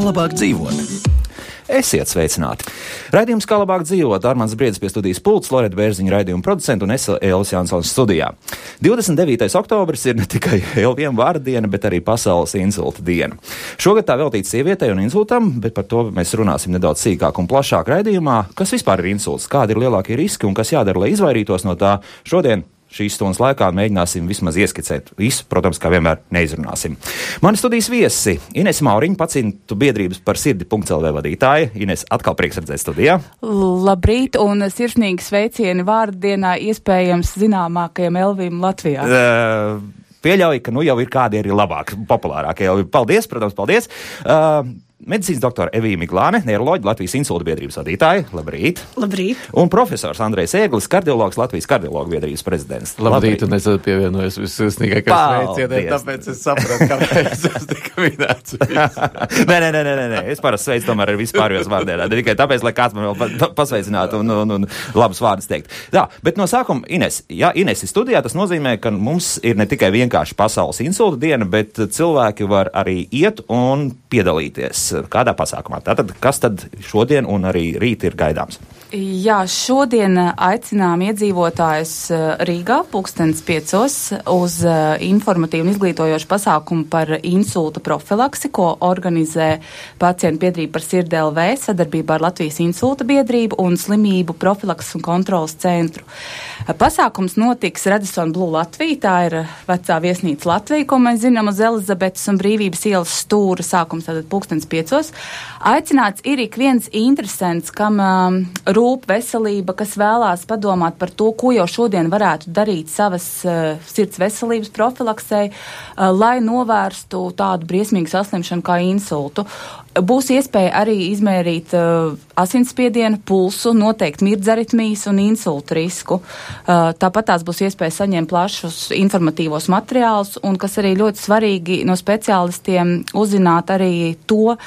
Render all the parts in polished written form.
Labāk dzīvot. Esiet sveicināti! Raidījums Kā labāk dzīvot, Armands Briedis pie studijas pults, Loreta Bērziņa raidījuma producenta un es Elvis Jansons studijā. 29. oktobris ir ne tikai Elviem vārda diena, bet arī pasaules insulta diena. Šogad tā veltīta sievietei un insultam, bet par to mēs runāsim nedaudz sīkāk un plašāk raidījumā. Kas vispār ir insults, kādi ir lielākie riski un kas jādara, lai izvairītos no tā? Šodien šīs stundas laikā mēģināsim vismaz ieskicēt visu, protams, kā vienmēr neizrunāsim. Mani studijas viesi Ines Mauriņa, pacientu biedrības par sirdi.lv vadītāja. Ines, atkal prieks redzēt studijā. Labrīt un sirsnīgi sveicieni vārdienā iespējams zināmākajam Elvim Latvijā. Pieļauju, ka nu jau ir kādi arī labāki, populārākie Elvi. Paldies, protams, paldies. Medicīnas doktora Evija Miglāne, neiroloģa, Latvijas insulta biedrības vadītāja. Labrīt. Labrīt. Un profesors Andrejs Ēglis, kardiologs, Latvijas kardiologu biedrības prezidents. Labrīt, un es pievienojos vissirsnīgākajai sveicienai, tāpēc es sapratu, kāpēc es tika minēts. Nē, es parasti sveicu tomēr ar vispārējos vārdienā, ne tikai tāpēc, lai kāds man vēl pasveicinātu un labus vārdus teikt. Tā, bet no sākuma Ines, ja Ines ir studijā, tas nozīmē, ka mums ir ne tikai vienkārši pasaules insulta diena, bet cilvēki var arī iet un piedalīties kādā pasākumā. Tātad, kas tad šodien un arī rīt ir gaidāms? Jā, šodien aicinām iedzīvotājus Rīgā 5:00 uz informatīvu un izglītojošu pasākumu par insulta profilaksi, ko organizē pacientu biedrība par sirdi LV sadarbībā ar Latvijas insulta biedrību un slimību profilakses un kontrolas centru. Pasākums notiks Radisson Blu Latvija, tā ir vecā viesnīca Latvija, ko mēs zinām uz Elizabetes un Brīvības ielas stūra, sākums tātad 5:00. Aicināts ir ik viens interesants, kam rūp veselība, kas vēlās padomāt par to, ko jau šodien varētu darīt savas sirds veselības profilaksei, lai novērstu tādu briesmīgu saslimšanu kā insultu. Būs iespēja arī izmērīt asinsspiedienu, pulsu, noteikt mirdzaritmijas un insultu risku. Tāpat tās būs iespēja saņemt plašus informatīvos materiālus un, kas arī ļoti svarīgi, no speciālistiem uzzināt arī to,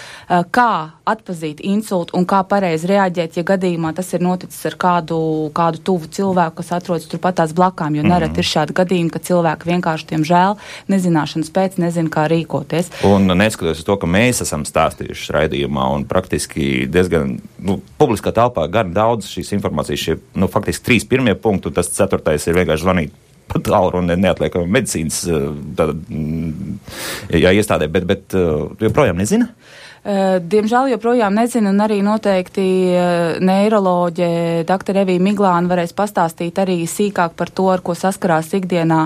kā atpazīt insultu un kā pareizi reaģēt, ja gadījumā tas ir noticis ar kādu tuvu cilvēku, kas atrodas turpat tās blakām, jo nereti ir šādi gadījumi, ka cilvēki vienkārši, diemžēl, nezināšanas pēc nezina, kā rīkoties. Un neskatoties uz to, ka mēs esam stāstījuši raidījumā un praktiski diezgan, publiskā telpā gan daudz šīs informācijas, šie, faktiski 3 pirmie punkti, un tas 4. ir vienkārši zvanīt pa tālruni neatliekami medicīnas iestādē, bet joprojām nezina? Diemžēl joprojām nezinu, un arī noteikti neiroloģe dr. Evija Miglāne varēs pastāstīt arī sīkāk par to, ar ko saskarās ikdienā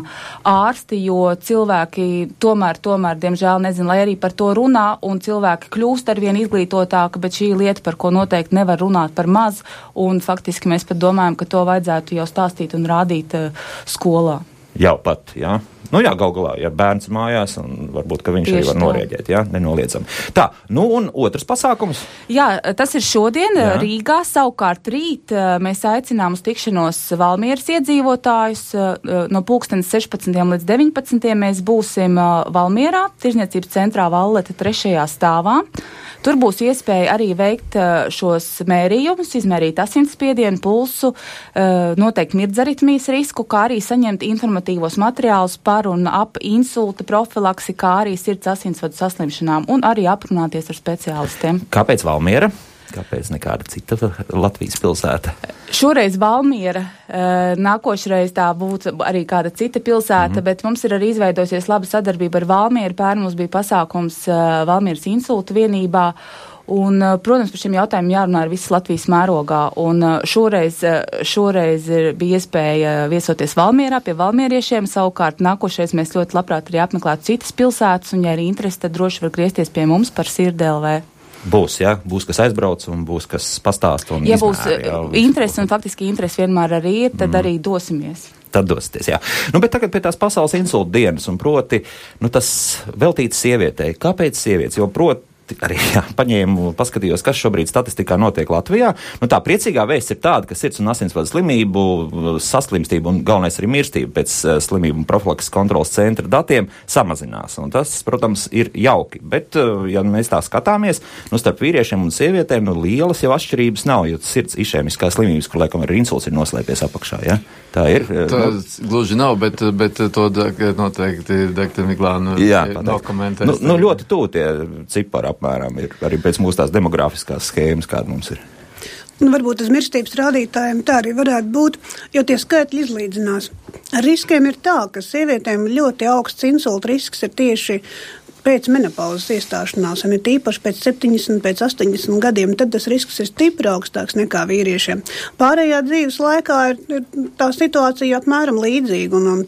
ārsti, jo cilvēki tomēr, diemžēl nezinu, lai arī par to runā, un cilvēki kļūst arvien izglītotāki, bet šī lieta, par ko noteikti nevar runāt par maz, un faktiski mēs pat domājam, ka to vajadzētu jau stāstīt un rādīt skolā. Jau pat, jā. Gal galā, ja bērns mājās, un varbūt, ka viņš tieši arī var norēģēt, jā, nenoliedzam. Tā, un otrs pasākums? Jā, tas ir šodien Rīgā, savukārt rīt mēs aicinām uz tikšanos Valmieras iedzīvotājus. No 16. līdz 19. mēs būsim Valmierā, Tirzniecības centrā Valleta 3. stāvā. Tur būs iespēja arī veikt šos mērījumus, izmērīt asinsspiedienu, pulsu, noteikt mirdzaritmijas risku, kā arī saņemt informatīvos materiālus par un ap insulta profilaksi, kā arī sirds asinsvadu saslimšanām un arī aprunāties ar speciālistiem. Kāpēc Valmiera? Kāpēc nekāda cita Latvijas pilsēta? Šoreiz Valmiera, nākošreiz tā būtu arī kāda cita pilsēta, bet mums ir arī izveidosies laba sadarbība ar Valmieru. Pērn mums bija pasākums Valmieras insulta vienībā. Un, protams, par šiem jautājumiem jārunā ar visas Latvijas mērogā. Un šoreiz bija iespēja viesoties Valmierā pie valmieriešiem. Savukārt nākošais mēs ļoti labprāt arī apmeklētu citas pilsētas, un, ja ir interesi, tad droši var griezties pie mums par sirdi LV. Būs, jā, būs kas aizbrauc un būs kas pastāst un ja izmēra. Būs interesi, un faktiski interesi vienmēr arī ir, tad arī dosimies. Tad dosieties, jā. Bet tagad pie tās pasaules insulta dienas, un proti, tas veltīts sievietei. Kāpēc sievietes? Jo proti, arī paņēmu, paskatījos, kas šobrīd statistikā notiek Latvijā. Nu, tā priecīgā vēsts ir tāda, ka sirds un asinsvadu slimību, saslimstību un galvenais arī mirstību pēc slimību un profilakses kontrolas centra datiem samazinās. Un tas, protams, ir jauki. Bet, ja mēs tā skatāmies, starp vīriešiem un sievietēm, lielas jau atšķirības nav, jo sirds išēmiskā slimības, kur laikam arī insults ir noslēpies apakšā, ja? Tā ir. Tā gluži nav, bet to noteikti Dr. Miglāna dokumentēs. Ļoti tuvu tie cipari apmēram ir arī pēc mūsu tās demografiskās schēmas, kāda mums ir. Varbūt uz mirstības rādītājiem tā arī varētu būt, jo tie skaitļi izlīdzinās. Ar riskiem ir tā, ka sievietēm ļoti augsts insulta risks ir tieši pēc menopauzes iestāšanās, un ir tīpaši pēc 70, pēc 80 gadiem, tad tas risks ir stipri augstāks nekā vīriešiem. Pārējā dzīves laikā ir tā situācija apmēram līdzīga, un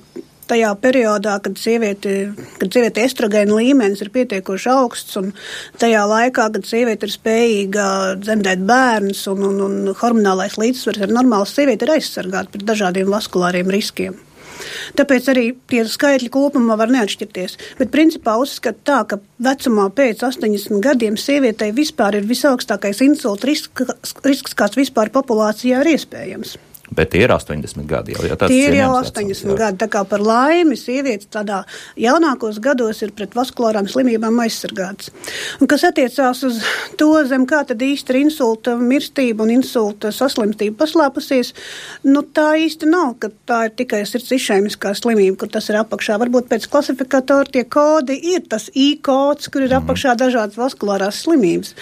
tajā periodā, kad sieviete estrogēna līmenis ir pietiekoši augsts, un tajā laikā, kad sieviete ir spējīga dzemdēt bērnus, un hormonālais līdzsvars ar normālu sievieti ir aizsargāta pret dažādiem vaskulāriem riskiem. Tāpēc arī tie skaitļi kopumā var neatšķirties. Bet principā uzskata tā, ka vecumā pēc 80 gadiem sievietei vispār ir visaugstākais insulta risks, kāds vispār populācijā ir iespējams. Bet tie ir 80 gadi jau. Ja tie ir jau 80 gadi, tā kā par laimi sievietes tādā jaunākos gados ir pret vaskulārām slimībām aizsargātas. Un kas attiecās uz to, zem kā tad īsti ir insulta mirstība un insulta saslimstība paslēpusies, tā īsti nav, ka tā ir tikai sirds išēmiskā slimība, kur tas ir apakšā. Varbūt pēc klasifikatora tie kodi ir tas I-kods, kur ir apakšā dažādas vaskulārās slimības.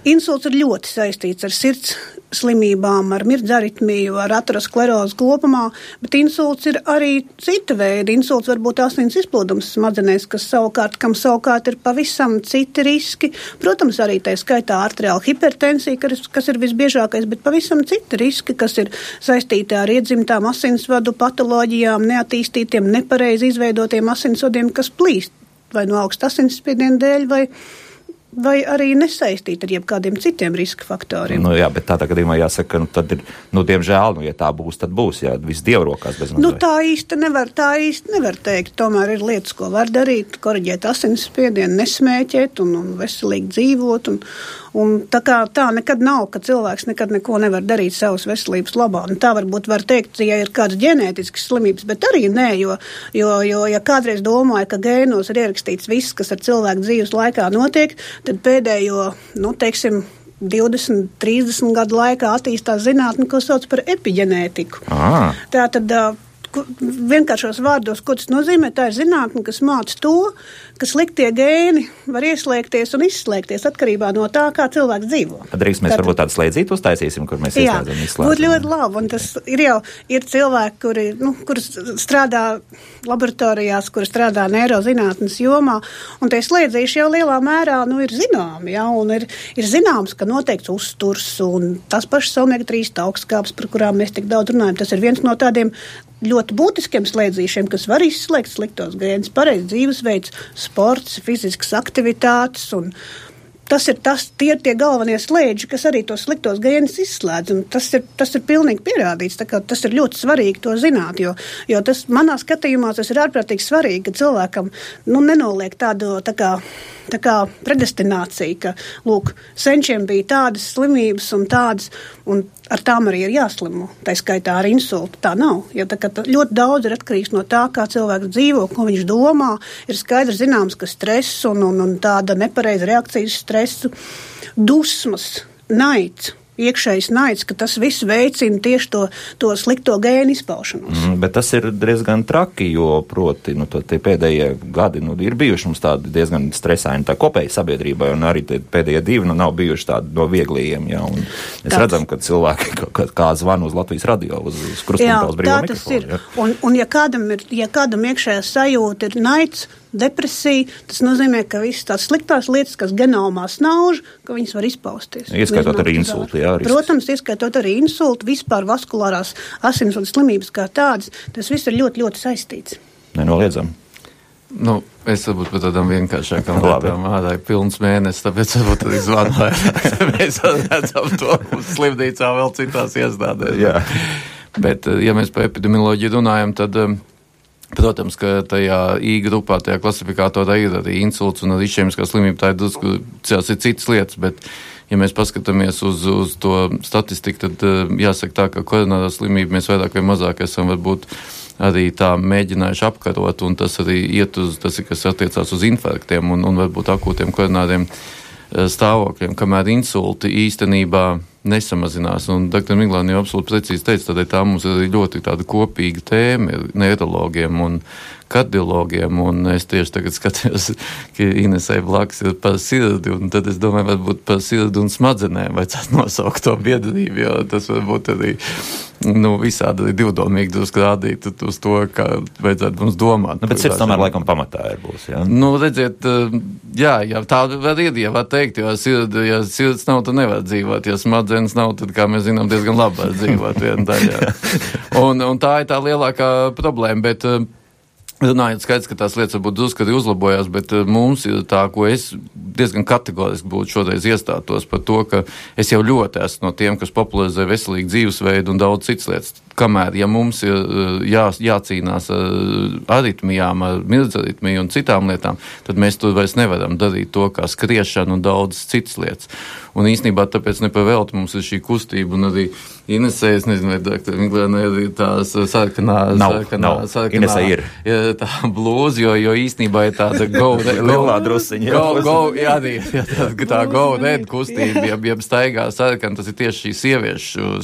Insults ir ļoti saistīts ar sirds slimībām, ar mirdzaritmiju, ar aterosklerozi kopumā, bet insults ir arī cita veida. Insults var būt asins izplūdums smadzenēs, kam savukārt ir pavisam citi riski. Protams, arī tā skaitā arteriāla hipertensija, kas ir visbiežākais, bet pavisam citi riski, kas ir saistīti ar iedzimtām asinsvadu patoloģijām, neattīstītiem, nepareizi izveidotiem asinsvadiem, kas plīst vai no augsta asinsspiediena dēļ, vai arī nesaistīt ar jebkādiem citiem riska faktoriem. Jā, bet tādā gadījumā jāsaka, tad ir, diemžēl, ja tā būs, tad būs, jā, viss dievrokās bez mazliet. Tā īsti nevar teikt. Tomēr ir lietas, ko var darīt, koriģēt asinsspiedienu, nesmēķēt un veselīgi dzīvot. Un tā nekad nav, ka cilvēks nekad neko nevar darīt savas veselības labā. Un tā varbūt var teikt, ja ir kādas ģenētiskas slimības, bet arī nē, jo ja kādreiz domāja, ka gēnos ir ierakstīts viss, kas ar cilvēku dzīves laikā notiek, tad pēdējo, 20, 30 gadu laikā attīstās zinātne, ko sauc par epiģenētiku. Tātad vienkāršos vārdos, ko tas nozīmē, tā ir zinātne, kas māca to, ka sliktie gēni var ieslēgties un izslēgties atkarībā no tā, kā cilvēks dzīvo. Drīkst mēs varbūt tādu slēdzītu uztaisīsim, kur mēs ieslēdzam, izslēdzam. Būtu ļoti labi, un tas ir cilvēki, kuri strādā laboratorijās, kuri strādā neirozinātnes jomā, un tie slēdzīši jau lielā mērā, ir zināmi, un ir zināms, ka noteikts uzturs, un tas pašs omega-3 augstskābes, par kurām mēs tik daudz runājam, tas ir viens no tādiem ļoti būtiskiem slēdzīšiem, kas var izslēgt sliktos gēnus, pareizs dzīvesveids, sports, fiziskas aktivitātes, un tie ir tie galvenie slēdži, kas arī tos sliktos gēnus izslēdz, un tas ir pilnīgi pierādīts, tā kā tas ir ļoti svarīgi to zināt, jo tas manā skatījumā tas ir ārprātīgi svarīgi, ka cilvēkam, nenoliek tādu, tā kā predestinācija, ka, senčiem bija tādas slimības un tādas, un ar tām arī ir jāslimo, tā skaitā ar insultu. Tā nav, jo ļoti daudz ir atkarīgs no tā, kā cilvēks dzīvo, ko viņš domā. Ir skaidrs zināms, ka stress un tāda nepareiza reakcijas stresu, dusmas, naids, iekšējs naids, ka tas viss veicina tieši to slikto gēnu izpaušanos. Bet tas ir diezgan traki, jo proti, tie pēdējie gadi, ir bijuši mums tādi diezgan stresaini tā kopēji sabiedrībai, un arī pēdējie divi, nav bijuši tādi no vieglajiem, jā, un mēs redzam, ka cilvēki kā zvana uz Latvijas radio, uz krustpunktā, uz brīvo mikrofonu. Jā, tā tas ir. Un ja kādam iekšējā sajūta ir naids, depresija, tas nozīmē, ka visas tās sliktās lietas, kas genomā snauž, ka viņas var izpausties. Ieskaitot arī insultu, jā. Protams, ieskaitot arī insultu, vispār vaskulārās asinsvadu slimības kā tādas, tas viss ir ļoti, ļoti saistīts. Nenoliedzam. Es varbūt par tādām vienkāršākām lietām ādāju pilns mēnesis, tāpēc varbūt arī zvanu. Mēs redzam to slimnīcā vēl citās iestādēs. Jā. Bet, ja mēs par epidemioloģiju runājam, tad Protams, ka tajā I grupā, tajā klasifikātorā ir arī insults un arī išēmiskā slimība, tā ir drusku citas lietas, bet, ja mēs paskatāmies uz to statistiku, tad jāsaka tā, ka koronārā slimība mēs vairāk vai mazāk esam varbūt arī tā mēģinājuši apkarot, un tas arī tas ir, kas attiecās uz infarktiem un varbūt akūtiem koronāriem stāvokļiem, kamēr insulti īstenībā nesamazinās. Un dr. Miglāni jau absolūti precīzi teica, tādēļ tā mums ir ļoti tāda kopīga tēma neirologiem un kardiologiem, un es tieši tagad skatījos, ka Inesai blakus ir par sirdi, un tad es domāju, varbūt par sirdi un smadzenēm vajadzētu nosaukt to biedrību, jo tas varbūt arī visādi divdomīgi drusku rādīt uz to, kā vajadzētu mums domāt. Bet sirds tomēr laikam pamatā būs, jā? Redziet, jā, tā var teikt, jo sirds nav, tad nevar dzīvot, ja smadzenes nav, tad, kā mēs zinām, diezgan labi var dzīvot viena daļā. Un tā ir tā lielākā problēma, bet runājot skaidrs, ka tās lietas varbūt drusku arī uzlabojās, bet mums ir tā, ko es diezgan kategoriski būtu šoreiz iestātos par to, ka es jau ļoti esmu no tiem, kas popularizē veselīgu dzīvesveidu un daudz citas lietas. Kamēr, ja mums ir jācīnās ar aritmijām, ar mirdzaritmiju un citām lietām, tad mēs tur vairs nevaram darīt to, kā skriešana un daudz citas lietas. Un īstenībā tāpēc nepavēlti mums ir šī kustība un arī Inesē, es nezinu, vai dr. Miglēna ir tās sarkanā, Inesē ir. Tā blūza, jo īstenībā ir tāda lielā drusiņa. Tā go red kustība, ja staigā sarkan, tas ir tieši šī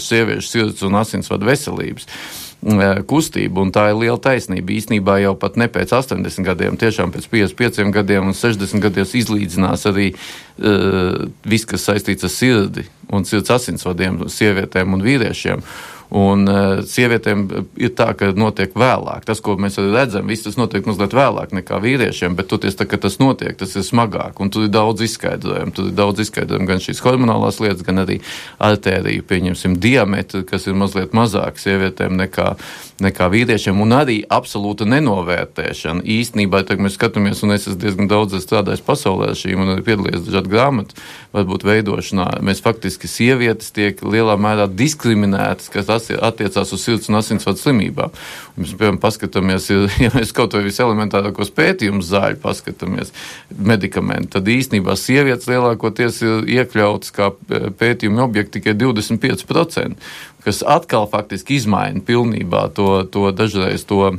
sieviešu sirds un asinsvadu veselības kustība, un tā ir liela taisnība. Īstenībā jau pat ne pēc 80 gadiem, tiešām pēc 55 gadiem un 60 gadiem izlīdzinās arī viss, kas saistīts ar sirdi un sirds asinsvadiem, sievietēm un vīriešiem. Un sievietēm ir tā, ka notiek vēlāk. Tas, ko mēs arī redzam, viss tas notiek mazliet vēlāk nekā vīriešiem, bet toties tā, ka tas notiek, tas ir smagāk. Un tur ir daudz izskaidrojumu. Gan šīs hormonālās lietas, gan arī artēriju, pieņemsim, diametri, kas ir mazliet mazāk sievietēm nekā vīriešiem, un arī absolūta nenovērtēšana. Īstenībā, tagad mēs skatāmies, un es esmu diezgan daudz strādājis pasaulē ar šīm, un arī piedalījies dažādu grāmatu, varbūt veidošanā. Mēs faktiski sievietes tiek lielā mērā diskriminētas, kas attiecās uz sirds un asinsvadu slimībām. Mēs, piemēram, paskatāmies, ja mēs kaut vai viselementārākos pētījumus zāļu paskatāmies, medikamenti, tad īstenībā sievietes lielākoties ir iekļautas kā pētījumi objekti tikai 25%, kas atkal faktiski izmaina pilnībā to dažreiz to.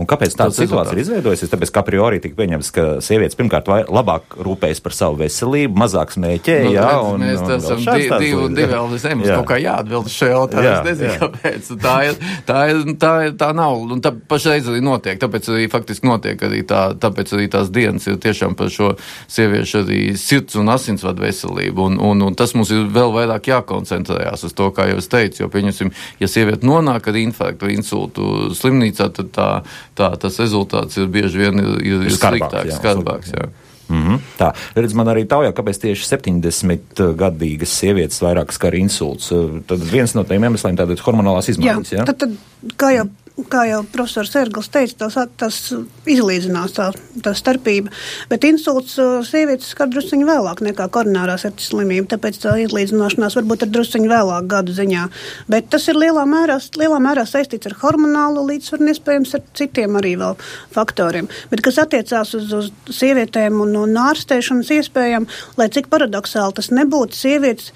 Un kāpēc tāda situācija ir izveidojusies? Tāpēc, ka a priori tika pieņemts, ka sievietes pirmkārt labāk rūpējas par savu veselību, mazāk smēķē, jā, un mēs esam divi vēl zemes, kaut kā jāatbild šo jautājumu, es nezinu, kāpēc. Tā nav, un tā pašreiz arī notiek, tāpēc arī faktiski notiek arī tāpēc arī tās dienas ir tiešām par šo sieviešu arī sirds un asinsvadu veselību, un tas mums ir vēl vairāk jākoncentrējās uz to, kā jau es teicu, jo, pieņemsim, ja sieviete nonāk ar infarktu vai insultu slimnīcā, tad tas rezultāts ir bieži vien ir sliktāks, skarbāks. Jā. Mm-hmm. Tā, redz, man arī taujā, kāpēc tieši 70-gadīgas sievietes vairāk skar insults. Tad viens no tiem iemesliem tātad hormonālās izmaiņas, jā? Tad kā jau profesors Ergls teica, tas izlīdzinās tā starpība, bet insults sievietes skar drusciņu vēlāk nekā koronārā sirds slimība, tāpēc tā izlīdzināšanās varbūt ir drusciņu vēlāk gadu ziņā. Bet tas ir lielā mērā saistīts ar hormonālo līdzsvaru un iespējams ar citiem arī vēl faktoriem. Bet kas attiecās uz sievietēm un ārstēšanas iespējām, lai cik paradoxāli tas nebūtu, sievietes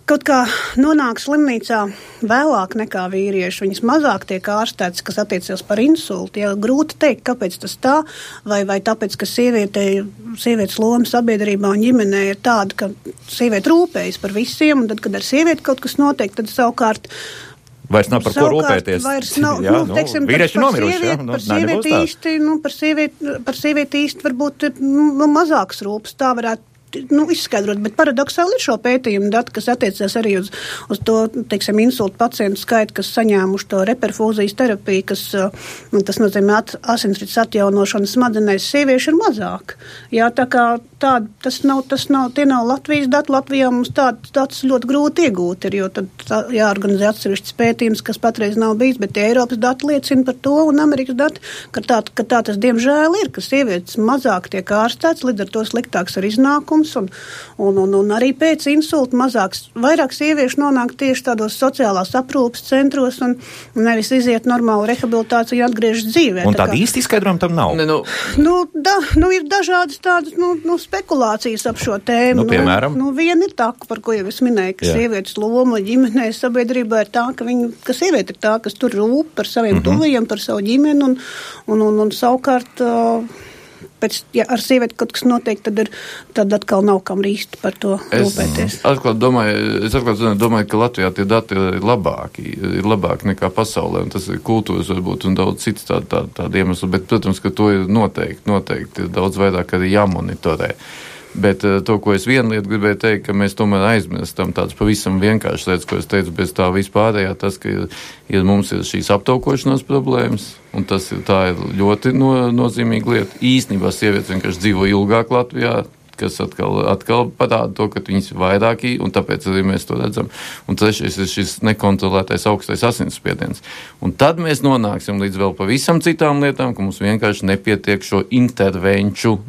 kaut kā nonāk slimnīcā vēlāk nekā vīrieši. Viņas mazāk tiek ārstētas, kas attiecas par insultu. Ja, grūti teikt, kāpēc tas tā, vai tāpēc, ka sievietes loma sabiedrībā un ģimenē ir tāda, ka sieviete rūpējas par visiem, un tad, kad ar sievieti kaut kas notiek, tad savukārt vairs nav par ko rūpēties. Vairs nav, jā, teiksim, vīrieši nomiruši, jā. Par sievieti īsti varbūt mazāks rūpes, tā varētu izskaidrot, bet paradoxāli ir šo pētījumu dati, kas attiecas arī uz to, teiksim, insultu pacientu skaitu, kas saņēmuši to reperfūzijas terapiju, tas nozīmē asinsrites atjaunošanu smadzenēs, sieviešu ir mazāk. Jā, tā kā tie nav Latvijas dati. Latvijā mums tāds ļoti grūti iegūt ir, jo tad jāorganizē atsevišķs pētījums, kas patreiz nav bijis, bet Eiropas dati liecina par to un Amerikas dati, ka tā tas diemžēl ir, ka sievietes mazāk tiek ārstēts, līdz ar to sliktāks ar iznākumu. trūkums, un arī pēc insulta vairāk sieviešu nonāk tieši tādos sociālās aprūpes centros un nevis iziet normālu rehabilitāciju un atgriežas dzīvē. Un tāda īsti izskaidrojuma tam nav? Ir dažādas tādas spekulācijas ap šo tēmu. Piemēram? Viena ir tā, par ko jau es minēju, ka sievietes loma ģimenē sabiedrībā ir tā, ka sieviete ir tā, kas tur rūp par saviem tuvajiem, par savu ģimeni, un savukārt, ja ar sievieti kaut kas notiek, tad atkal nav kam īsti par to rūpēties. Es atklāt domāju, ka Latvijā tie dati ir labāki nekā pasaulē, un tas ir kultūras varbūt un daudz cits tāda iemesla, bet, protams, ka to ir noteikti daudz vairāk arī jāmonitorē. Bet to, ko es vienu lietu gribēju teikt, ka mēs tomēr aizmirstam tādas pavisam vienkāršas lietas, ko es teicu, bez tā vispārējā, tas, ka mums ir šīs aptaukošanās problēmas, un tā ir ļoti nozīmīga lieta. Īstenībā sievietes vienkārši dzīvo ilgāk Latvijā, kas atkal parāda to, ka viņas ir vairāki, un tāpēc arī mēs to redzam. Un trešais ir šis nekontrolētais augstais asinsspiediens. Un tad mēs nonāksim līdz vēl pavisam citām lietām, ka mums vienkārši nepietiek šo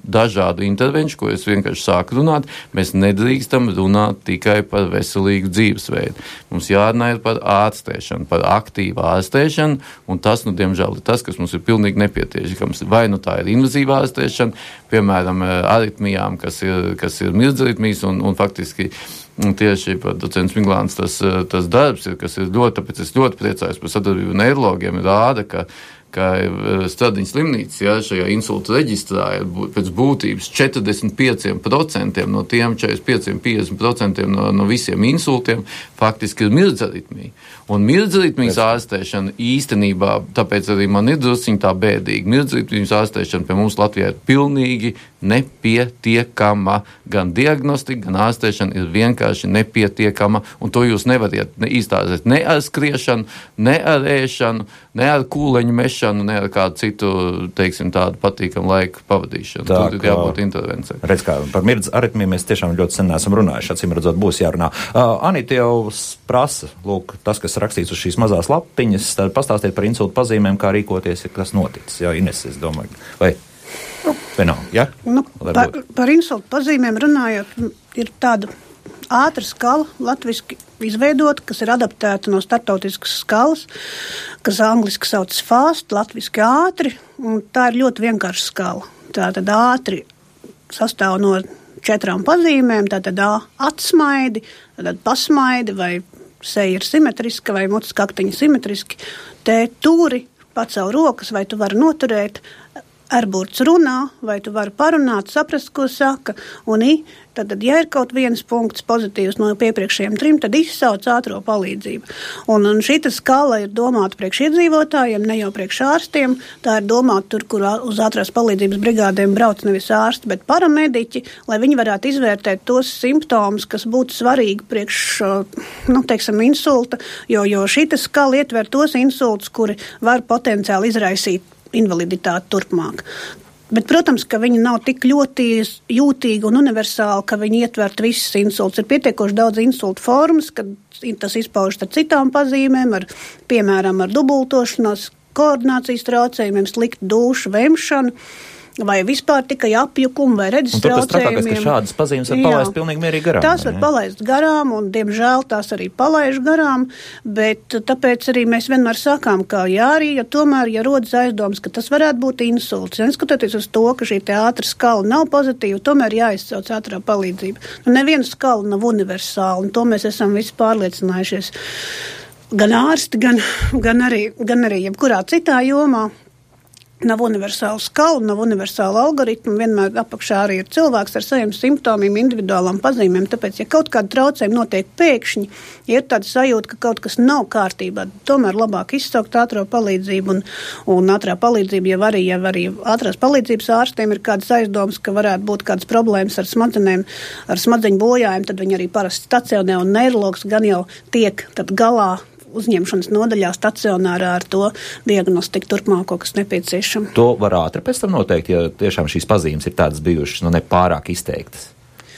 dažādu intervenciju, ko es vienkārši sāku runāt. Mēs nedrīkstam runāt tikai par veselīgu dzīvesveidu. Mums jārunā ir par ārstēšanu, par aktīvu ārstēšanu, un tas, diemžēl, ir tas, kas mums ir pilnīgi nepietiekams. Vai tā ir invazīva ārstēšana, piemēram, aritmijām, kas ir mirdzaritmijas, un faktiski tieši par docents Miglāns tas darbs ir, kas ir ļoti, tāpēc es ļoti priecājos par sadarbību neirologiem, rāda, ka Stradiņas slimnīca, šajā insulta reģistrā ir pēc būtības 45% no tiem 45-50% no visiem insultiem faktiski ir mirdzaritmija. Un mirdzaritmijas ārstēšana īstenībā, tāpēc arī man ir drusciņ tā bēdīgi, mirdzaritmijas ārstēšana pie mums Latvijā ir pilnīgi nepietiekama. Gan diagnostika, gan ārstēšana ir vienkārši nepietiekama, un to jūs nevariet izstāstīt ne ar skriešanu, ne ar ēšanu, ne ar kūleņu mešanu, ne ar kādu citu, teiksim, tādu patīkamu laiku pavadīšanu. Tur ir jābūt intervencijai. Redz, kā par mirdz aritmiju mēs tiešām ļoti sen neesam runājuši, acīm redzot, būs jārunā. Anita jau prasa, lūk, tas, kas rakstīts uz šīs mazās lapiņas, tad pastāstiet par insultu pazīmēm, kā rīkoties, ja kas noticis. Jā, Ines, es domāju, vai nav, ja? Par insultu pazīmēm runājot, ir tāda ātra skala, latviski izveidota, kas ir adaptēta no starptautiskas skalas, kas angliski sauc fast, latviski ātri, un tā ir ļoti vienkārša skala. Tātad ātri sastāv no 4 pazīmēm, tātad atsmaidi, tātad pasmaidi, vai seja ir simetriska, vai mutes kaktiņi simetriski, te turi, pacel rokas, vai tu vari noturēt, Erburts runā, vai tu vari parunāt, saprast, ko saka, un tad, ja ir kaut viens punkts pozitīvs no piepriekšējiem 3, tad izsauc ātro palīdzību. Un šita skala ir domāta priekš iedzīvotājiem, ne jau priekš ārstiem, tā ir domāta tur, kur uz ātrās palīdzības brigādēm brauc nevis ārsti, bet paramediķi, lai viņi varētu izvērtēt tos simptomus, kas būtu svarīgi priekš, insulta, jo šita skala ietver tos insultus, kuri var potenciāli izraisīt invaliditāti turpmāk. Bet, protams, ka viņi nav tik ļoti jūtīgi un universāli, ka viņi ietvert visas insultus. Ir pietiekoši daudz insultu formas, kad tas izpaužas ar citām pazīmēm, piemēram, ar dubultošanos, koordinācijas traucējumiem, sliktu dušu, vemšanu, vai vispār tikai apjukumu vai redzes traucējumiem. Un tas trakākais, ka šādas pazīmes var palaist pilnīgi mierīgi garām. Tās var palaist garām, un, diemžēl, tās arī palaiž garām, bet tāpēc arī mēs vienmēr sakām, ka tomēr, ja rodas aizdomas, ka tas varētu būt insults, neskatoties uz to, ka šī te ātra skala nav pozitīva, tomēr jāizsauc ātrā palīdzība. Neviena skala nav universāla, un to mēs esam visi pārliecinājušies. Gan ārsti, gan arī jebkurā citā jomā. Nav universāla skala, nav universāla algoritma, vienmēr apakšā arī ir cilvēks ar saviem simptomiem, individuālām pazīmēm, tāpēc, ja kaut kāda traucējuma notiek pēkšņi, ir tāda sajūta, ka kaut kas nav kārtībā, tomēr labāk izsaukt ātrā palīdzību, un ātrā palīdzība, ja arī ātrās palīdzības ārstiem ir kādas aizdomas, ka varētu būt kādas problēmas ar smadzenēm, ar smadzeņu bojājumu, tad viņi arī parasti stacionē, un neirologs gan jau tiek tad galā uzņemšanas nodaļā stacionārā ar to diagnostiku turpmāko, kas nepieciešama. To var ātri pēc tam noteikt, ja tiešām šīs pazīmes ir tādas bijušas, ne pārāk izteiktas.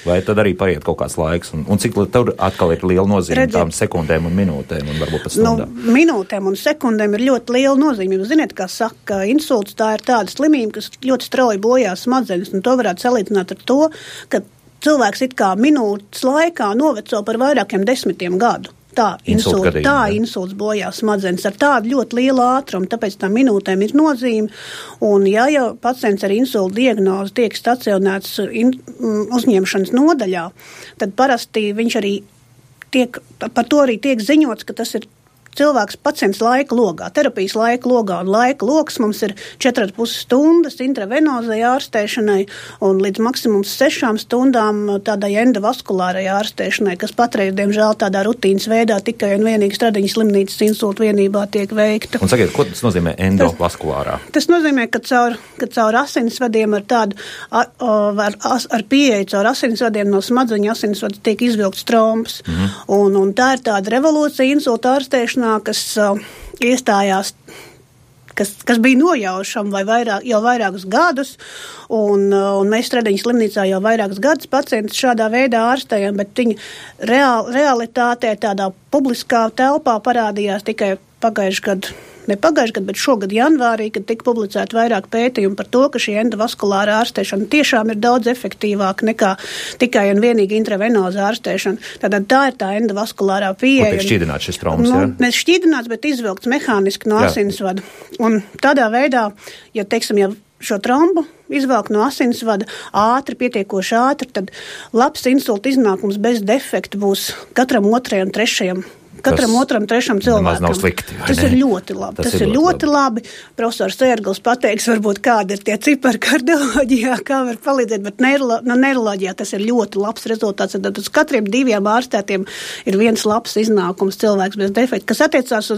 Vai tad arī paiet kaut kāds laiks? Un cik tur atkal ir liela nozīme tām sekundēm un minūtēm un varbūt pat stundām? Minūtēm un sekundēm ir ļoti liela nozīme. Jūs ziniet, kā saka, insults tā ir tāda slimība, kas ļoti strauji bojā smadzenes, un to varētu salīdzināt ar to, ka cilvēks it kā minūtes laikā noveco par vairākiem 10 gadu. Tā insults bojā smadzenes ar tādu ļoti lielu ātrumu, tāpēc tā minūtēm ir nozīme. Un ja jau pacients ar insultu diagnozi tiek stacionēts uzņemšanas nodaļā, tad parasti viņš arī par to arī tiek ziņots, ka tas ir cilvēks pacients laika logā, terapijas laika logā, un laika loks mums ir 4,5 stundas intravenozai ārstēšanai un līdz maksimums 6 stundām tādai endovaskulārai ārstēšanai, kas patreiz, diemžēl, tādā rutīnas veidā tikai un vienīgi Stradiņas slimnīcas insultu vienībā tiek veikta. Un sakiet, ko tas nozīmē endovaskulārā? Tas nozīmē, ka caur asinsvadiem ar pieeju caur asinsvadiem no smadzeņu asinsvada tiek izvilkts trombs. Un tā ir tāda revolūcija insultu ārstēšanā, kas iestājās, kas bija nojaušama jau vairākus gadus, un mēs Stradiņas slimnīcā jau vairākus gadus pacientus šādā veidā ārstējam, bet viņa realitātē tādā publiskā telpā parādījās tikai ne pagājuši gadu, bet šogad janvārī, kad tika publicēti vairāk pētījumu par to, ka šī endovaskulāra ārstēšana tiešām ir daudz efektīvāka nekā tikai un vienīgi intravenoza ārstēšana. Tātad tā ir tā endovaskulārā pieeja. Kur tiek šķīdināts šis trombs, ja? Mēs šķīdināts, bet izvilkts mehāniski no asinsvada. Un tādā veidā, ja šo trombu izvelk no asinsvada pietiekoši ātri, tad labs insulta iznākums bez defekta būs katram otrajam, trešajam cilvēkam. Nav slikti, tas ir ļoti labi. Tas ir ļoti labi. Profesors Ērgls pateiks, varbūt kādi ir tie cipari kardioloģijā, kā var palīdzēt, bet neiroloģijā tas ir ļoti labs rezultāts. Tad uz katriem 2 ārstētiem ir viens labs iznākums cilvēks bez defekta. Kas attiecās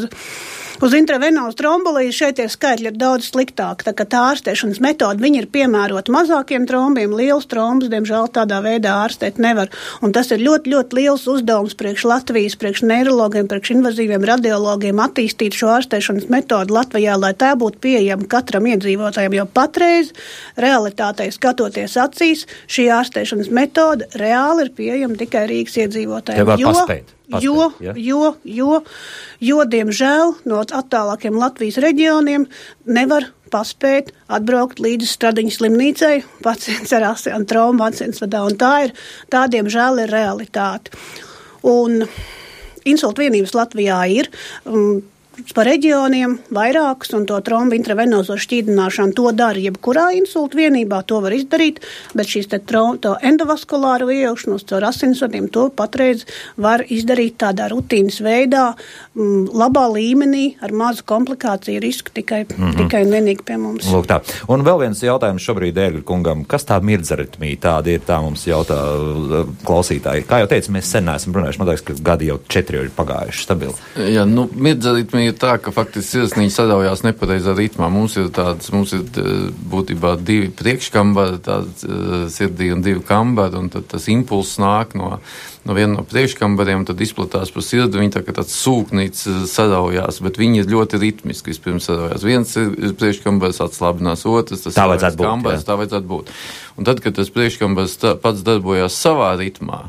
uz intravenozu tromboliju, šeit tie skaitļi ir daudz sliktāki. Tā kā tā ārstēšanas metode, viņi ir piemērota mazākiem trombiem, liels trombus, diemžēl tādā veidā ārstēt nevar. Un tas ir ļoti, ļoti liels uzdevums priekš Latvijas, priekš neirologiem, priekš invazīviem radiologiem attīstīt šo ārstēšanas metodu Latvijā, lai tā būtu pieejama katram iedzīvotājam, jo patreiz realitātei skatoties acīs, šī ārstēšanas metode reāli ir pieejama tikai Rīgas iedzīvotājiem. Jo, diemžēl, no attālākiem Latvijas reģioniem nevar paspēt atbraukt līdz Stradiņas slimnīcai pacients ar trombu asinsvadā, un tā, diemžēl, ir realitāte. Un insultu vienības Latvijā ir pa reģioniem vairākas, un to trombu intravenozo šķīdināšanu to dara jebkurā insultu vienībā, to var izdarīt, bet šīs to endovaskulāru iejaukšanos caur asinsvadiem to patreiz var izdarīt tādā rutīnas veidā, labā līmenī, ar mazu komplikāciju risku tikai un vienīgi pie mums. Lūk tā. Un vēl viens jautājums šobrīd Ērgļa kungam. Kas tā mirdzaritmija tāda ir? Tā mums jautā klausītāji. Kā jau teicu, mēs sen neesam runājuši. Man liekas, ka gadi jau 4 ir pagājuši stabili. Jā, mirdzaritmija ir tā, ka faktiski sirsniņa sadaujās nepareizā ritmā. Mums ir būtībā 2 priekškambari, sirdī un 2 kambari, un tad tas impulss nāk no viena no priekškambariem, tad izplatās pa sirdi, viņi tā kā tāds sūknīts sadaujās, bet viņi ir ļoti ritmiski vispirms sadaujās. Viens ir priekškambars atslābinās, otrs, tas kambars, tā vajadzētu būt. Un tad, kad tas priekškambars pats darbojās savā ritmā,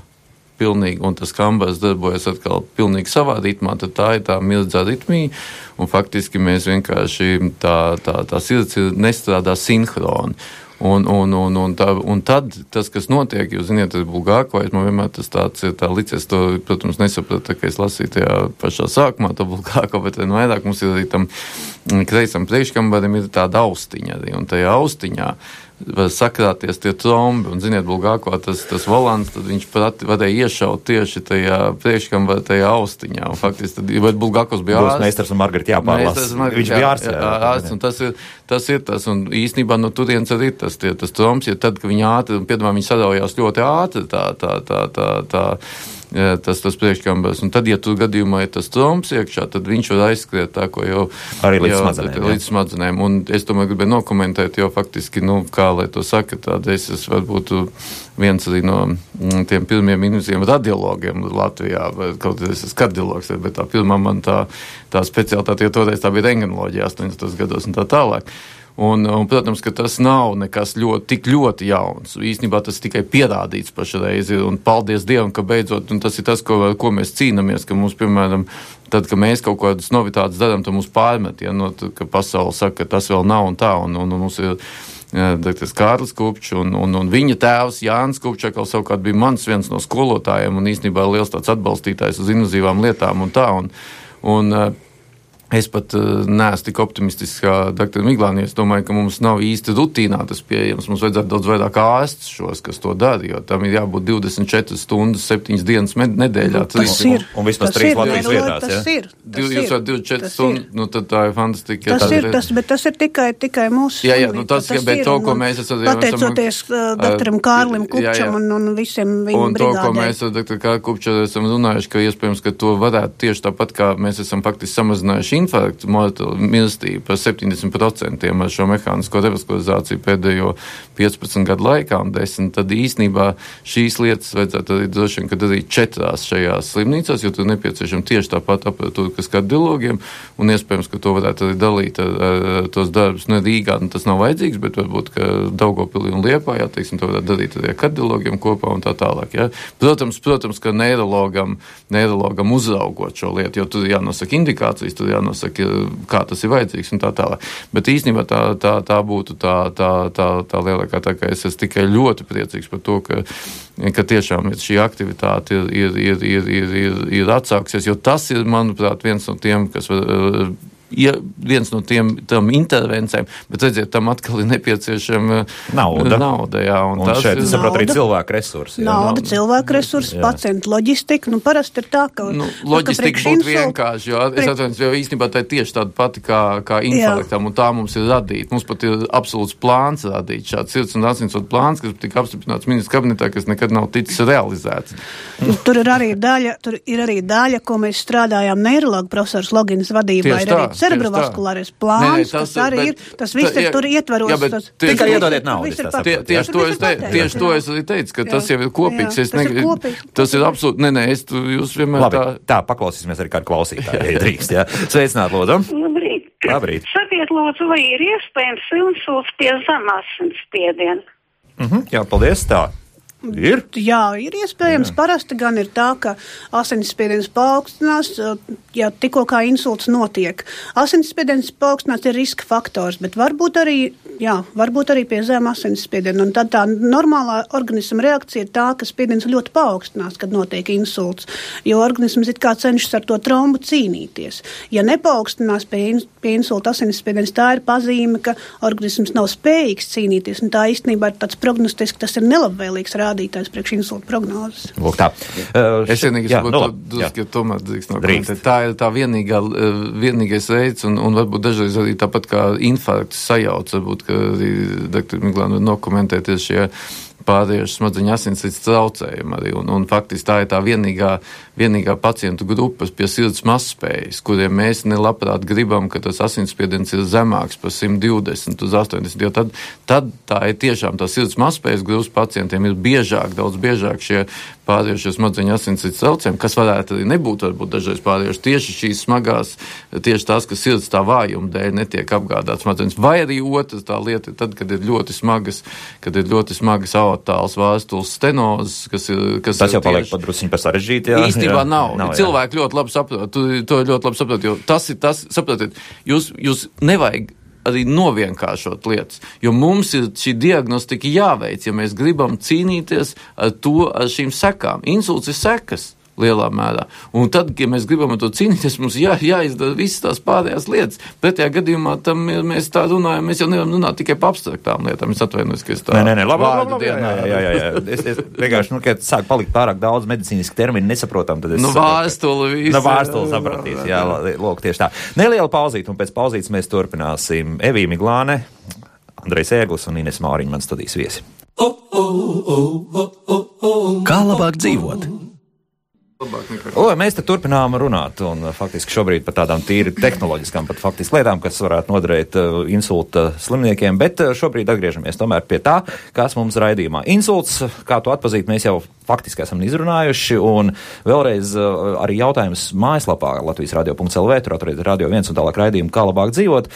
pilnīgi, un tas kambars darbojas atkal pilnīgi savā ritmā, tad tā ir tā mildzā ritmija, un faktiski mēs vienkārši tā sirds nestrādā sinhroni. Un tad tas, kas notiek, jūs ziniet, tas Bulgākovais, man vienmēr tas tāds ir tā licies, to, protams, nesapratu, ka es lasīju tajā pašā sākumā, to Bulgākovu, bet vairāk mums ir arī tam kreisam priekškambarim ir tāda austiņa arī, un tajā austiņā var sakrāties tie trombi, un, ziniet, Bulgākovā tas volants, tad viņš varēja iešaut tieši tajā priekškambarā, tajā austiņā, un faktiski tad, vai Bulgākovs bija ārsts? Meistars un Margarita jāpārlas. Viņš bija ārsts, un tas ir tas, un īstenībā no turienes arī tas trombs, ja tad, ka viņi ātri, un piedāvā viņi sadaujās ļoti ātri, tas priekškambars, un tad, ja tur gadījumā ir tas trombs iekšā, tad viņš var aizskriet tā, ko jau arī līdz smadzenēm. Un es tomēr gribēju nokomentēt, jo faktiski, kā lai to saka, tādēļ es varbūt viens arī no tiem pirmiem invazīviem radiologiem Latvijā, kaut es esmu kardiologs, bet tā pirmā man tā specialitāte, jo toreiz tā bija rengenoloģija 80. gados un tā tālāk. Un, protams, ka tas nav nekas tik ļoti jauns. Īstenībā tas tikai pierādīts pašreiz, un paldies Dievam, ka beidzot, un tas ir tas, ko mēs cīnamies, ka mums, piemēram, tad, ka mēs kaut kādas novitātes darām, tad mums pārmet, ka pasaule saka, ka tas vēl nav un tā, un mums ir Dr. Kārlis Kupčs un viņa tēvs Jānis Kupčs, savukārt bija mans viens no skolotājiem un īstenībā liels tāds atbalstītājs uz invazīvām lietām un tā. Un es pat neesmu tik optimistisks kā dr. Miglāni. Es domāju, ka mums nav īsti rutīnā tas pieejams. Mums vajadzētu daudz vairāk ārsts šos, kas to dara, jo tam ir jābūt 24 stundas, 7 dienas nedēļā. Tas ir. Un vismaz 3 Latvijas vietās, tas ir. Jūs varat 24 stundas, nu tad tā ir fantastika. Bet tas ir tikai mūsu. Jā, nu tas bet to, ko mēs esam. Pateicoties doktoram Kārlim Kupčam un visiem viņa brigādēm. Un to, ko mēs ar dr. Kārli Kupču esam runājuši, ka iespējams, ka to varētu tieši tāpat, kā mēs esam faktiski samazinājuši infarktu mirstību par 70% ar šo mehānisko revaskulizāciju pēdējo 15 gadu laikā un 10, tad īstenībā šīs lietas vajadzētu arī droši vien, kad arī 4 šajās slimnīcās, jo tur nepieciešama tieši tāpat aparatūra, kas kardiologiem, un iespējams, ka to varētu arī dalīt ar tos darbus, ne Rīgā, tas nav vajadzīgs, bet varbūt, ka Daugavpilī un Liepājā, teiksim, to varētu darīt arī ar kardiologiem kopā un tā tālāk, ja. Protams, ka neirologam uzraugot šo lietu, jo tur jānosaka indikācijas, tur jānosaka, kā tas ir vajadzīgs un tā tālāk. Bet īstenībā tā būtu tā lielākā, tā kā es esmu tikai ļoti priecīgs par to, ka tiešām šī aktivitāte ir atsāksies, jo tas ir, manuprāt, viens no tiem, kas var viens no tām intervencēm, bet redziet, tam atkal ir nepieciešama nauda jā, un tas šeit, es saprotu, arī cilvēku resursi. Nauda, cilvēku resursi, pacientu loģistika, parasti ir tā, ka... Loģistika būtu vienkārši, jo es atvainojos, jo īstenībā tā ir tieši tāda pati kā infarktam, un tā mums ir radīta. Mums pat ir absolūts plāns radīt, šāds sirds un asinsvadu plāns, kas tika apstiprināts ministra kabinetā, kas nekad nav ticis realizēts. Tur ir arī daļa, ko mēs strādājām neirologu profesors Logins vadībā, ir arī cerebrovaskulārais plāns, kas arī ir, tas viss ir tur ietvaros. Tikai iedodiet naudu. Tieši to es arī teicu, ka tas jau ir kopīgs. Tas ir absolūti, jūs vienmēr tā. Tā, paklausīsimies arī kādu klausītāju, drīkst, jā. Sveicināt, lūdzu. Labrīt. Sakiet, lūdzu, vai ir iespējams insults pie zemās asinsspiediena? Jā, paldies, tā. Ir? Jā, ir iespējams. Parasti gan ir tā, ka asinsspiediens paaugstinās, ja tikko kā insults notiek. Asinsspiediens paaugstinās ir riska faktors, bet varbūt arī pie zema asinsspiediena. Un tad tā normālā organisma reakcija ir tā, ka spiediens ļoti paaugstinās, kad notiek insults, jo organisms it kā cenšas ar to trombu cīnīties. Ja nepaaugstinās pie insulta asinsspiediens, tā ir pazīme, ka organisms nav spējīgs cīnīties, un tā īstenībā ir tāds prognostiski, tas ir nelabvēlīgs rādītājs priekš insulta prognozes. Lūk tā. Es vienīgi ka tomēr drīkst. Tā ir tā vienīgais veids, un varbūt dažreiz arī tāpat kā infarkts sajauc, varbūt, ka arī dr. Miglāni dokumentēties šie pāriešu smadzeņu asinsrites traucējumi arī, un faktiski tā ir tā vienīgā pacientu grupas pie sirds mazspējas, kuriem mēs nelabprāt gribam, ka tas asinsspiediens ir zemāks par 120 uz 80, jo tad tā ir tiešām tā sirds mazspējas grupas pacientiem ir daudz biežāk šie pāriešu smadzeņu asinsrites traucējumi, kas varētu arī nebūt varbūt dažreiz pāriešu tieši šīs smagās, tieši tās, ka sirds tā vājuma dēļ netiek apgādāts smadzenes, vai arī otrs tā lieta ir tad, kad ir ļoti smagas aortāls vēstules stenozes, kas tas jau paliek pat drusciņ par sarežģīti, jā. Īstenībā nav. Cilvēki ļoti labi saprot, to ļoti labi saprot, jo tas ir tas, saprotiet, jūs nevajag arī novienkāršot lietas, jo mums ir šī diagnostika jāveic, ja mēs gribam cīnīties ar šīm sekām. Insults ir sekas lielā mērā. Un tad, ja mēs gribam ar to cīnīties, mums jāizdara visas tās pārējās lietas. Pretējā gadījumā mēs tā runājam, mēs jau nevaram runāt tikai par abstraktām lietām. Es atvainojos, ka es tā labi. Jā. Es vienkārši, kad sāk palikt pārāk daudz medicīniski termini nesaprotam, tad es vēstuli sapratīs. Jā, lūk, tieši tā. Neliela pauzīt, un pēc pauzītes mēs turpināsim. Evija Miglāne, Andrejs Ēglis un Ines Māriņa, man studijas viesi. Kā labāk dzīvot? Mēs te turpinām runāt, un faktiski šobrīd par tādām tīri tehnoloģiskām, pat faktiski lietām, kas varētu noderēt insulta slimniekiem, bet šobrīd atgriežamies tomēr pie tā, kas mums raidījumā. Insults, kā to atpazīt, mēs jau faktiski esam izrunājuši, un vēlreiz arī jautājums mājaslapā latvijasradio.lv, tur atrodiet Radio 1 un tālāk raidījumu, kā labāk dzīvot.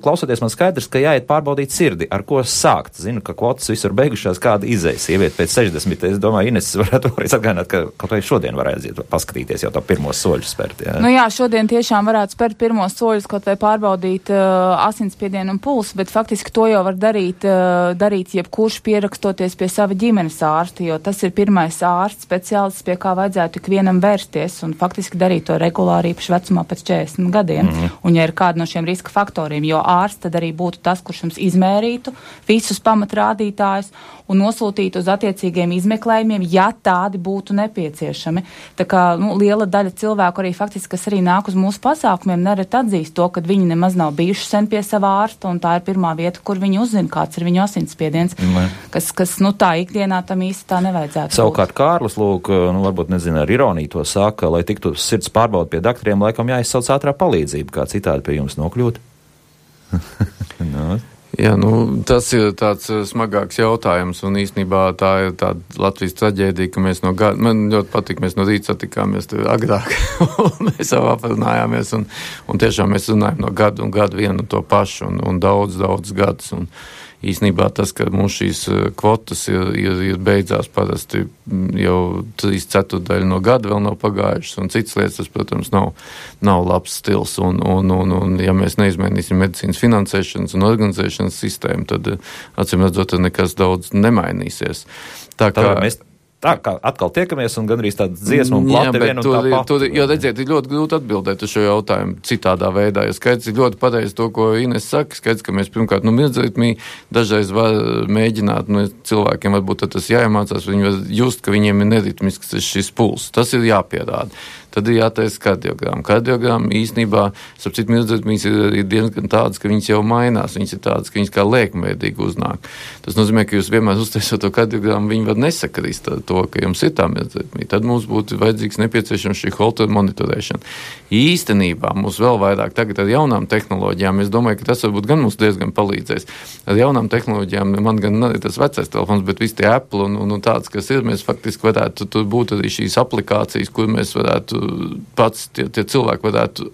Klausoties, man skaidrs, ka jāiet pārbaudīt sirdi, ar ko sākt. Zinu, ka kvotas visur beigušās, kāda izējas sieviete pēc 60. Es domāju, Ines varētu arī atgādināt, ka kaut vai šodien varētu aiziet paskatīties jau tā pirmos soļus spērt. Jā. Nu jā, šodien tiešām varētu spērt pirmos soļus, kaut vai pārbaudīt asinsspiedienu un pulsu, bet faktiski to jau var darīt jebkurš pierakstoties pie sava ģimenes ārsta, jo tas ir pirmais ārsts speciālists, pie kā vajadzētu ikvienam vērsties un faktiski darīt to regulāri īpaši vecumā pēc 40 gadiem. Un ja ir kāda no šiem riska faktoriem, jo ārsts tad arī būtu tas, kurš jums izmērītu visus pamatrādītājus un nosūtītu uz attiecīgiem izmeklējumiem, ja tādi būtu nepieciešami. Tā kā liela daļa cilvēku arī faktiski, kas arī nāk uz mūsu pasākumiem, nereti atzīst to, ka viņi nemaz nav bijuši sen pie savā ārsta, un tā ir pirmā vieta, kur viņi uzzina, kāds ir viņu asinsspiediens, kas tā ikdienā tam īsti tā nevajadzētu. Savukārt Kārlis, lūk, varbūt nezinu, ar ironiju to saka, lai tiktu sirds pārbaud pie daktariem, laikam jāizsauc ātrā palīdzība, kā citādi pie jums nokļūt. Jā, tas ir tāds smagāks jautājums, un īstenībā tā ir tāda Latvijas traģēdija, ka mēs man ļoti patīk, mēs no rīta satikāmies agrāk, un mēs jau aprunājāmies, un tiešām mēs runājam no gadu un gadu vienu to pašu, un daudz gadus, un īstenībā tas, ka mums šīs kvotas ir beidzās parasti jau 3/4 no gada vēl nav pagājušas, un citas lietas, tas, protams, nav labs stils, un ja mēs neizmainīsim medicīnas finansēšanas un organizēšanas sistēmu, tad, acīm redzot, nekas daudz nemainīsies. Tā kā mēs atkal tiekamies un gandrīz tāda dziesma un plate viena un tā pati. Jo, redziet, ir ļoti grūti atbildēt uz šo jautājumu citādā veidā. Ja skaidrs ir ļoti pareizi to, ko Ines saka. Skaidrs, ka mēs pirmkārt mirdzritmī dažreiz var mēģināt, cilvēkiem varbūt tas jāiemācās, viņi var just, ka viņiem ir neritmisks šis puls. Tas ir jāpierāda. Tad ir jātaisa kardiogramma. Kardiogramma īstenībā, starp citu, mirdzritmīs ir diezgan tādas, ka viņas jau mainās. Viņas ir tādas, ka viņas kā liekmveidīgi uznāk. Tas nozīmē, ka jūs vienmēr uztaisot to kardiogrammu, viņi var nesakrist ar to, ka jums ir tā mirdzritmī. Tad mums būtu vajadzīgs nepieciešams šī Holter monitorēšana. Īstenībā mums vēl vairāk tagad ar jaunām tehnoloģijām, es domāju, ka tas varbūt gan mums diezgan palīdzēs. Ar jaunām tehnoloģijām, man gan nav tas vecais telefons, bet visi tie Apple un tāds, kas ir, mēs faktiski varētu, tur būtu arī šīs aplikācijas, kur mēs varētu pats tie cilvēki varētu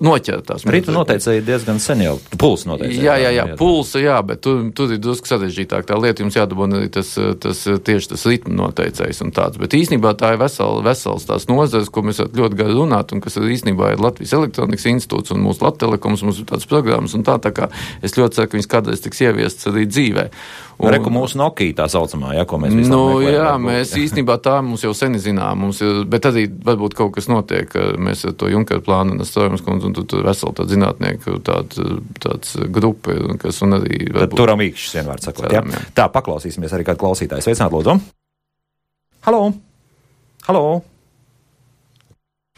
noķert tās. Ritu noteicēji diezgan sen jau. Pulsa noteicēji. Jā, pulsa, jā, bet tur ir drusku sarežģītāk. Tā lieta jums jādabūna arī tieši tas ritmu noteicējs un tāds. Bet īstenībā tā ir vesels tās nozares, ko mēs ļoti gari runāt, un kas īstenībā ir Latvijas elektronikas institūts un mūsu Lattelekoms, mums ir tādas programmas un tā kā es ļoti ceru, ka viņas kādreiz tiks ieviestas arī dzīvē. Reku mūsu Nokia tā saucamā, ko mēs visam meklējam. Jā, mēs īstenībā tā mums jau sen zinām, bet arī varbūt kaut kas notiek, mēs ar to Junkera plānu un Strojums kundzi, un tur veseli tādi zinātnieki, tāds grupa, kas un arī varbūt... Turam īkšķis, vienvārds sakot, jā. Tā, paklausīsimies arī kādu klausītāju. Sveicināt, lūdzu. Halo.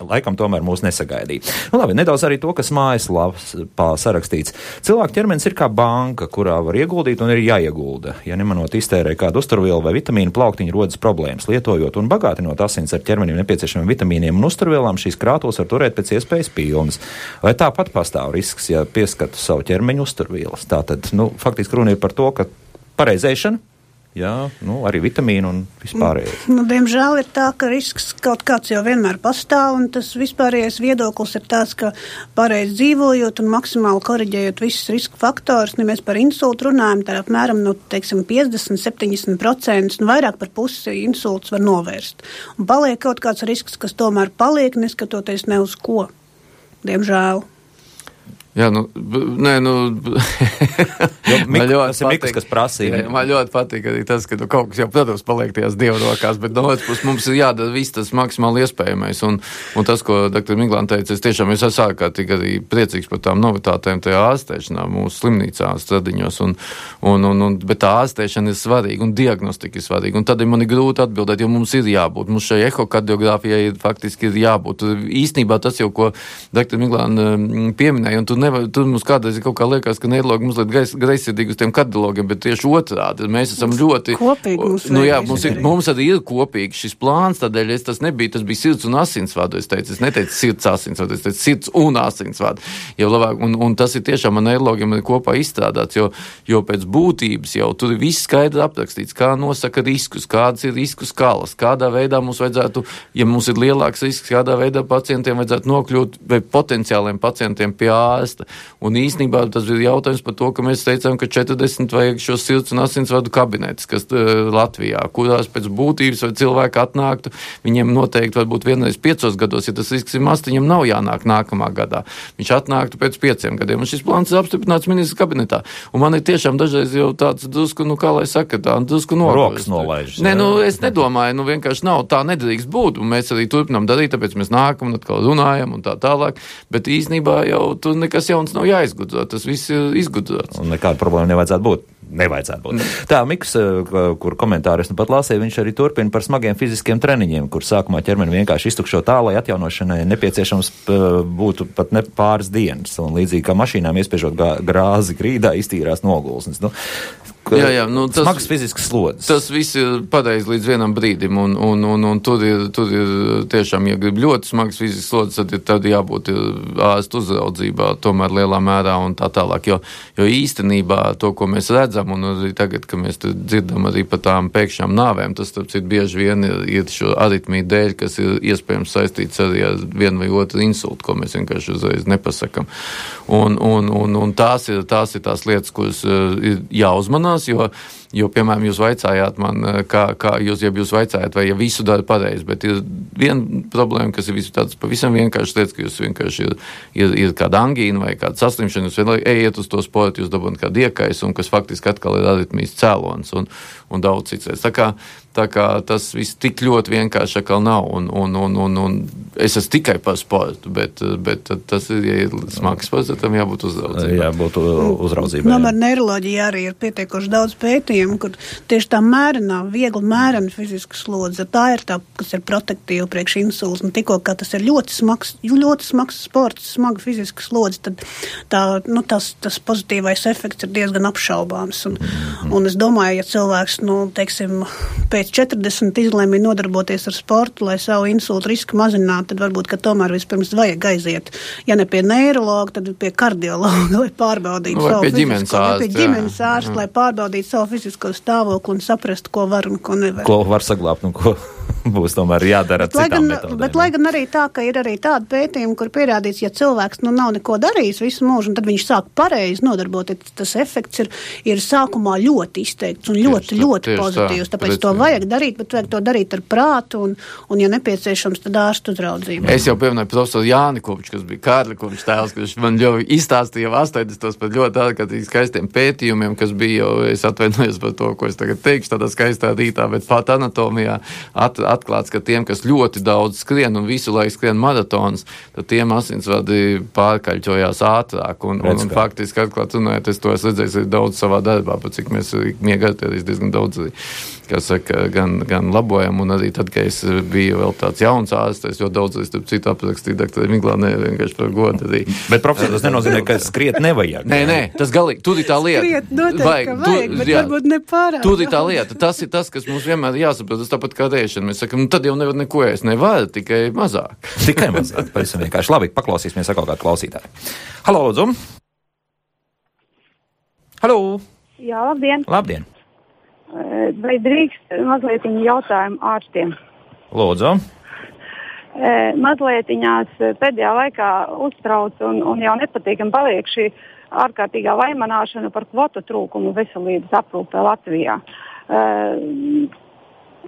Laikam tomēr mūs nesagaidīja. Labi, nedaudz arī to, kas mājaslapā sarakstīts. Cilvēka ķermenis ir kā banka, kurā var ieguldīt un ir jāiegulda. Ja nemanot iztērē kādu uzturvielu vai vitamīnu, plauktiņu rodas problēmas. Lietojot un bagātinot asins ar ķermenim nepieciešamiem vitamīniem un uzturvielām, šīs krātuves var turēt pēc iespējas pilnas. Vai tāpat pastāv risks, ja pieskatu savu ķermeņu uzturvielas? Tātad, faktiski runa ir par to, ka pareizēšana, jā, arī vitamīnu un vispārējais. Diemžēl ir tā, ka risks kaut kāds jau vienmēr pastāv, un tas vispārējais viedoklis ir tāds, ka pareizi dzīvojot un maksimāli koriģējot visus risku faktorus, ja mēs par insultu runājam, tad apmēram, 50-70%, vairāk par pusi insults var novērst. Un paliek kaut kāds risks, kas tomēr paliek, neskatoties ne uz ko. Diemžēl. Jā, Tas ir Mikas, kas prasīja. Man ļoti patīk arī tas, ka kaut kas jau, protams, paliek tajās Dieva rokās, bet no otras puses mums ir jādara viss tas maksimāli iespējamais. Un tas, ko dr. Miglāna teica, es tiešām esmu ārkārtīgi arī priecīgs par tām novitātēm tajā ārstēšanā mūsu slimnīcā stradiņos. Bet tā ārstēšana ir svarīga un diagnostika ir svarīga. Un tad man ir grūti atbildēt, jo mums ir jābūt. Mums šai ehokardiogrāfijai faktiski ir jābūt. Īstenībā tas jau, ko dr. Miglāna pieminēja, un tur tur mums kādreiz kaut kā liekas, ka neirologi mums liet greizsirdīgi uz tiem kardiologiem, bet tieši otrādi. Mēs esam ļoti... Kopīgi mums arī ir kopīgi šis plāns, tādēļ tas bija sirds un asinsvadu, es neteicu sirds asinsvadu, es teicu sirds un asinsvadu. Jau labāk, un tas ir tiešām man neirologiem kopā izstrādāts, jo pēc būtības jau tur ir viss skaidri aprakstīts, kā nosaka riskus, kādas ir risku skalas, kādā veidā mums vajadzētu, ja mums ir lielāks risks, kādā veidā pacientiem vajadzētu nokļūt vai potenciāliem pacientiem pie ārsta. Un īstenībā tas ir jautājums par to, ka mēs teicām, ka 40 vajag šos sirds un asinsvadu kabinetes, kas Latvijā, kurās pēc būtības vai cilvēki atnāktu, viņiem noteikti varbūt vienreiz 5 gados, ja tas risks ir mazs, viņam nav jānāk nākamā gadā. Viņš atnāktu pēc 5 gadiem, un šis plāns ir apstiprināts ministra kabinetā. Un man ir tiešām dažreiz jau tāds drusku, kā lai saka, drusku rokas nolaižas. Nē, es nedomāju, vienkārši nav, tā nedrīkst būt, un mēs arī turpinām darīt, tāpēc mēs nākam un atkal runājam un tā tālāk, bet īstenībā jau tur nekas jauns nav jāizgudro, tas viss ir izgudrots. Un nekāda problēma nevajadzētu būt. Tā, Miks, kur komentāru es nu pat lasīju, viņš arī turpina par smagiem fiziskiem treniņiem, kur sākumā ķermeni vienkārši iztukšo tā, lai atjaunošanai nepieciešams būtu pat ne pāris dienas. Un līdzīgi kā mašīnām iespiežot grāzi grīdā, iztīrās nogulsnes. Smagas fiziskas slodzes. Tas viss ir pareizi līdz vienam brīdim, un tur ir tiešām, ja grib ļoti smagas fiziskas slodzes, tad jābūt ārstu uzraudzībā tomēr lielā mērā un tā tālāk, jo īstenībā to, ko mēs redzam, un arī tagad, ka mēs dzirdam arī par tām pēkšņām nāvēm, tas, starp citu, bieži vien ir šo aritmiju dēļ, kas ir iespējams saistīts arī ar vienu vai otru insultu, ko mēs vienkārši uzreiz nepasakam. Un tās ir tās lietas, kuras ir jāuzmanās, jo, piemēram, jūs vaicājāt man, kā jūs vaicājāt, vai ja visu dara pareizi, bet ir viena problēma, kas ir tāds pavisam vienkārši lietas, ka jūs vienkārši ir kāda angīna vai kāda saslimšana, jūs ejiet uz to sportu, jūs dabūjat kādu iekaisu, un kas faktiski atkal ir aritmijas cēlonis un daudz cits. Tā kā tas viss tik ļoti vienkārši atkal nav, un es esmu tikai par sportu, bet tas ir, ja ir smags sports, tam jābūt uzraudzībai. Jābūt uzraudzībai. Ar neiroloģiju arī ir pietiekoši daudz pētījumu, kur tieši tā viegli mērena fiziska slodze, tā ir tā, kas ir protektīva priekš insults, un tikko, kā tas ir ļoti smags sports, smaga fiziska slodze, tad tas pozitīvais efekts ir diezgan apšaubāms. Un es domāju, ja cilvēks, teiksim, pēc 40 izlēma nodarboties ar sportu, lai savu insultu risku mazinātu, tad varbūt, ka tomēr vispirms vajag aiziet, ja ne pie neirologa, tad pie kardiologa, lai pārbaudītu ģimenes ārstu, lai pārbaudītu savu fizisko stāvokli un saprastu, ko var un ko nevar. Ko var saglābt un ko būs tomēr jādara ar citām metodēm. Bet lai gan arī tā, ka ir arī tāda pētījuma, kur pierādīts, ja cilvēks nav neko darījis visu mūžu, un tad viņš sāk pareizi nodarboties, tas efekts ir sākumā ļoti izteikts un ļoti pozitīvs. Tāpēc to vajag darīt, bet vajag to darīt ar prātu un ja nepieciešams, tad ārstu uzraudzību. Es jau pieminēju profesoru Jāni Koviču, kas bija Kārli Kovičs tēls, kurš man jau izstāstīja 80. par ļoti ārkārtīgi skaistiem pētījumiem, kas bija jau, es atvainojos par to, ko es tagad teikšu tādā skaistā rītā, bet pat anatomijā atklāts, ka tiem, kas ļoti daudz skrien un visu laiku skrien maratonus, tad tiem asinsvadi pārkaļķojās ātrāk. Un faktiski atklāt runājot, es to esmu redzējis arī daudz savā darbā, pat cik mēs miega artērijas diezgan daudz arī, kā saka, gan labojam, un arī tad, kad es biju vēl tāds jauns ārsts, es ļoti daudz arī citu aprakstīju doktori Miglānē, vienkārši par godu arī. Bet profesor, tas nenozīmē, ka skriet nevajag. Nē, tas galīgi, tur ir tā lieta. Skriet noteikti, vajag, bet varbūt nepārāk. Tur ir tā lieta, tas ir tas, kas mums vienmēr jāsaprot, tas tāpat kā rēšana. Mēs sakam, tad jau nevar neko ēst, nevar, tikai mazāk. Tikai mazāk, pavisam vienkārši. Labi, paklausīsimies atkal kādu klausītāju. Halo, lūdzu. Halo. Jā, labdien. Labdien. Vai drīkst mazliet jautājumu ārstiem? Lūdzu. Mazlietiņās pēdējā laikā uztrauc un jau nepatīkam paliek šī ārkārtīgā vaimanāšana par kvotu trūkumu veselības aprūpē Latvijā.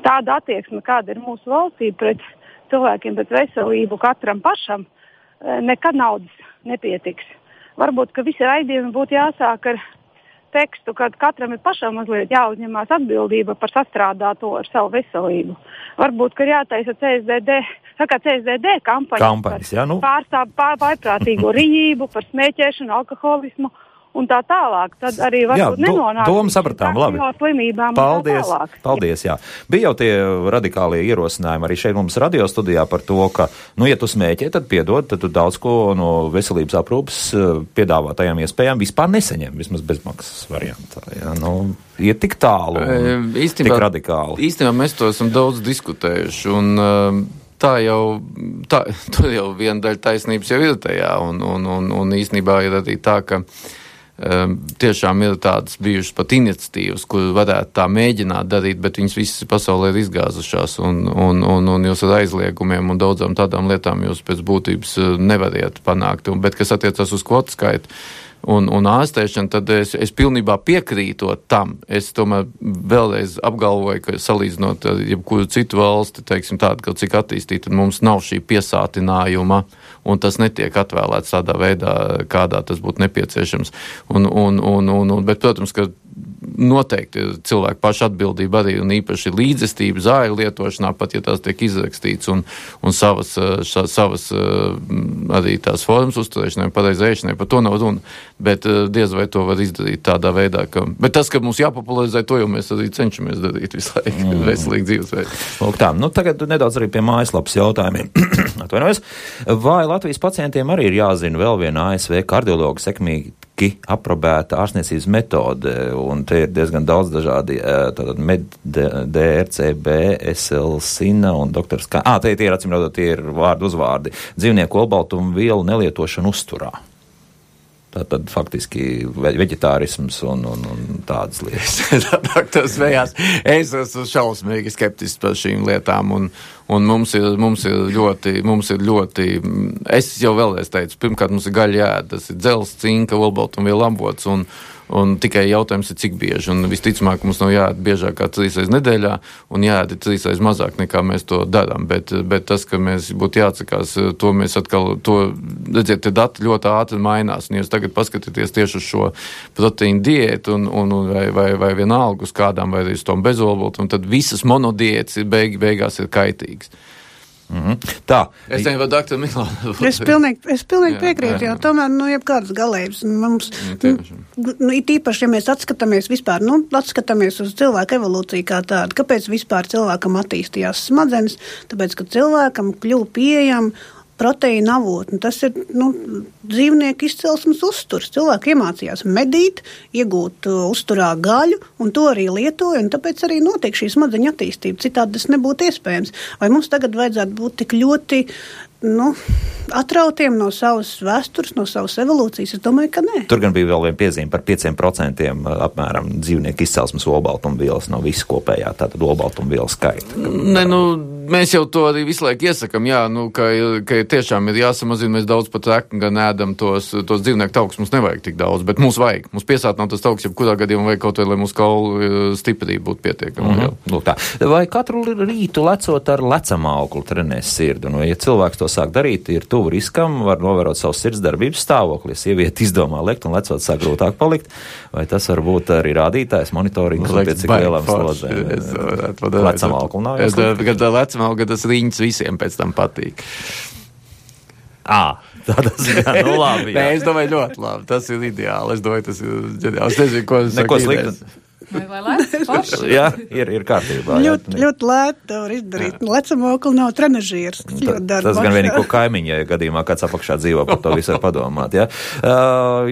Tāda attieksme, kāda ir mūsu valstī pret cilvēkiem, pret veselību katram pašam, nekad naudas nepietiks. Varbūt, ka visi raidījumi būtu jāsāk ar tekstu, kad katram ir pašam mazliet jāuzņemās atbildība par sastrādāto ar savu veselību. Varbūt, ka ir jātaisa CSDD kampaņas jā, pārprātīgo rīību, par smēķēšanu, alkoholismu un tā tālāk, tad arī varbūt nenonāk domu sapratām, labi. Slimībām paldies, un tā tālāk. Paldies, jā. Bija jau tie radikālie ierosinājumi arī šeit mums radio studijā par to, ka, ja tu smēķē, tad piedod, tad tu daudz ko no veselības aprūpas piedāvātajām iespējām vispār nesaņem, vismaz bezmaksas variantā. Jā, iet tik tālu un tik radikāli. Īstenībā mēs to esam daudz diskutējuši, un tā jau viena daļa taisnības jau ir tajā, un īstenībā ir arī tā, ka tiešām ir tādas bijušas pat iniciatīvas, kur varētu tā mēģināt darīt, bet viņas visas pasaulē ir izgāzušās, un jūs ar aizliegumiem un daudzām tādām lietām jūs pēc būtības nevariet panākt. Bet kas attiecas uz kvotu skaitu un ārstēšanu, tad es pilnībā piekrītot tam. Es tomēr vēlreiz apgalvoju, ka salīdzinot ar jebkuru citu valsti, teiksim tādu, ka cik attīstīta, tad mums nav šī piesātinājuma, un tas netiek atvēlēts tādā veidā, kādā tas būtu nepieciešams. Bet, protams, ka noteikti cilvēku pašu atbildība arī un īpaši līdzestība zāļu lietošanā, pat ja tās tiek izrakstīts un savas arī tās formas uzturēšanai, pareizēšanai, par to nav runa, bet diez vai to var izdarīt tādā veidā, bet tas, ka mums jāpopularizē, to jau mēs arī cenšamies darīt visu laiku, veselīgi dzīvesveidu. Lūk tā, tagad nedaudz arī pie mājaslapas jautājumiem. Atvainojos. Vai Latvijas pacientiem arī ir jāzina vēl viena ASV kardiologa sekmīgi aprobēta ārstniecības metode, un te ir diezgan daudz dažādi DRCB, SLSINA un doktors K. Tie ir, acīmredzot, tie ir vārdu uzvārdi. Dzīvnieku olbaltumu vielu nelietošana uzturā. Tātad faktiski veģetārisms un tādas lietas. Doktors Vējās, es esmu šausmīgi skeptisks par šīm lietām, un mums ir ļoti, es jau vēlreiz teicu, pirmkārt mums ir gaļa jāēd, tas ir dzels, cinka, olbaltumvielu avots, un tikai jautājums ir, cik bieži, un visticamāk mums nav jāēd biežāk kā 3 reizes nedēļā, un jāēd 3 reizes mazāk nekā mēs to darām, bet tas, ka mēs būtu jāatsakās, to mēs atkal, redziet, tie dati ļoti ātri mainās, un jūs tagad paskatieties tieši uz šo proteīnu diētu, vai vienalga uz kādām, vai uz tom bezolbaltu, un tad visas monodiētas beigās ir kaitīgas. Tā. Es nevaru doktoru Milānu. Es pilnīgi piekrītu, jo tomēr, jebkādas galējības mums, it īpaši, ja mēs atskatāmies vispār, atskatāmies uz cilvēku evolūciju kā tādu, kāpēc vispār cilvēkam attīstījās smadzenes, tāpēc, ka cilvēkam kļuva pieejama proteīna avotni. Tas ir dzīvnieku izcelsmes uzturs. Cilvēki iemācījās medīt, iegūt uzturā gaļu, un to arī lietoja, un tāpēc arī notiek šī smadzeņu attīstība. Citādi tas nebūtu iespējams. Vai mums tagad vajadzētu būt tik ļoti atrautiem no savas vēstures, no savas evolūcijas? Es domāju, ka nē. Tur gan bija vēl viena piezīme par 5% apmēram dzīvnieku izcelsmes olbaltumvielas no visu kopējā, tātad olbaltumvielu skaita. Mēs jau to arī visu laiku iesakam, ka tiešām ir jāsamazina, mēs daudz pat gan ēdam tos dzīvnieku taukus, mums nevajag tik daudz, bet mums vajag. Mums piesātināt tas tauks, jebkurā gadījumā vajag kaut vai, lai mūsu kaulu stiprība būtu pietiekama. Vai katru rītu lecot ar lecamauklu trenēs sirdi? Un, ja cilvēks to sāk darīt, ir tuvu riskam, var novērot savu sirdsdarbības stāvokli. Ja sieviete izdomā lekt un lecot sāk grūtāk palikt, vai tas var būt arī rādītājs, monitorings, pēc cik lielām slodzēm? Lecamauklu nav Lecamauklu, tas riņķis visiem pēc tam patīk. Tādas gan, labi. Nē, es domāju ļoti labi, tas ir ideāli. Es domāju, tas ir ģeniāli. Es nezinu, ko es saku. Sliktu. Vai lēts? Jā, ir kārtībā. Ļoti lēti to var izdarīt. Lecamaukli nav trenažieris. Tas gan vienīgi, ko kaimiņi, ja gadījumā kāds apakšā dzīvo, par to visu var padomāt. Ja?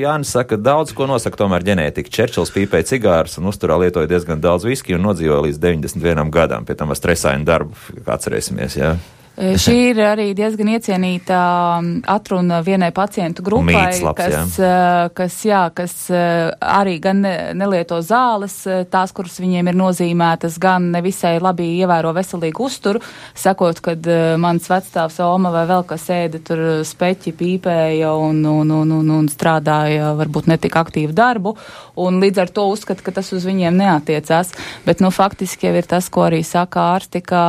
Jānis saka, daudz ko nosaka tomēr ģenētika. Čerčils pīpēja cigārus un uzturā lietoja diezgan daudz viski un nodzīvoja līdz 91 gadam. Pie tam ar stresainu darbu, kā atcerēsimies, jā. Šī ir arī diezgan iecienīta atruna vienai pacientu grupai, kas arī gan nelieto zāles, tās, kuras viņiem ir nozīmētas, gan nevisai labi ievēro veselīgu uzturu, sakot, kad mans vecstāvs Oma vai vēl kas ēda tur speķi, pīpēja un strādāja varbūt netik aktīvu darbu, un līdz ar to uzskata, ka tas uz viņiem neatiecās. Bet, faktiski jau ir tas, ko arī saka ārsti, ka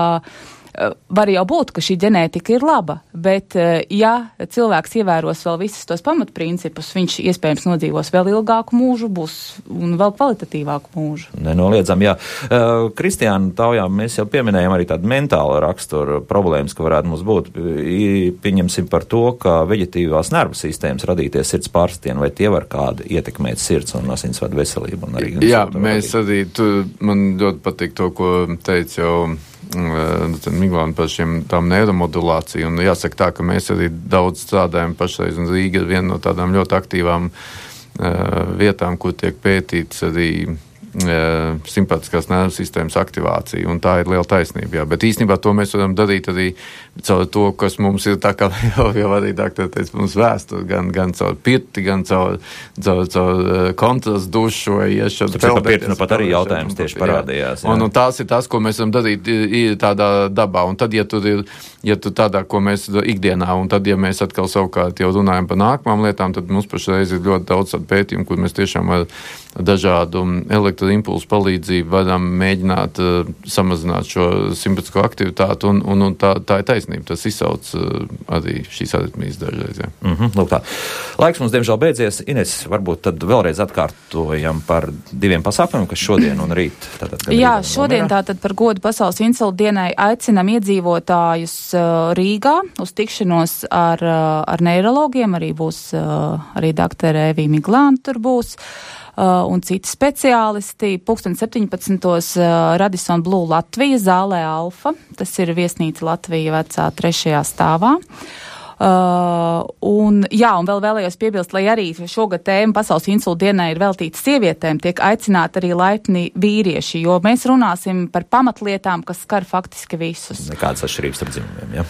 var jau būt, ka šī ģenētika ir laba, bet ja cilvēks ievēros vēl visus tos pamatprincipus, viņš iespējams nodzīvos vēl ilgāku mūžu, būs un vēl kvalitatīvāku mūžu. Nenoliedzam, jā. Kristiāna taujā mēs jau pieminējam arī tādu mentālu raksturu problēmas, ka varētu mums būt. Pieņemsim par to, ka veģetīvās nervu sistēmas radīties sirds pārsitieni, vai tie var kādu ietekmēt sirds un asinsvadu veselību? Un arī jā, mēs arī, man ļoti patīk to, ko teica jau Miglāna par tām neiromodulāciju, un jāsaka tā, ka mēs arī daudz strādājam pašreiz, un Rīga ir viena no tādām ļoti aktīvām vietām, kur tiek pētīts arī simpātiskās nervu sistēmas aktivācija, un tā ir liela taisnība, jā. Bet īstenībā to mēs varam darīt arī caur to, kas mums ir tā kā jau arī doktori teica, mums vēstur, gan caur pirti, gan caur kontrastu dušu vai iešanu. Tāpēc par pirti pat arī jautājums tieši parādījās. Un tās ir tas, ko mēs varam darīt tādā dabā, un tad, ja tu tādā, ko mēs ikdienā, un tad, ja mēs atkal savukārt jau runājam par nākamām lietām, tad mums pašreiz ir ļoti daudz tādu pētījumu, kur mēs tiešām ar dažādu elektroimpulsu palīdzību varam mēģināt samazināt šo simpātisko aktivitāti, un tā ir taisnība. Tas izsauc arī šīs aritmijas dažreiz. Lūk tā. Laiks mums diemžēl beidzies. Ines, varbūt tad vēlreiz atkārtojam par 2 pasākumiem, kas šodien un rīt. Jā, šodien tātad par godu Pasaules insulta dienai aicinam iedzīvotājus Rīgā uz tikšanos ar neirologiem. Arī būs arī doktora Evija Miglāna tur būs. Un citi speciālisti. 17. Radisson Blu Latvija, zālē Alfa. Tas ir viesnīca Latvija vecā 3. stāvā. Un vēl vēlējos piebilst, lai arī šogad tēma Pasaules insulta dienai ir veltīta sievietēm, tiek aicināti arī laipni vīrieši, jo mēs runāsim par pamatlietām, kas skar faktiski visus. Nekādas atšķirības starp dzimumiem, jā?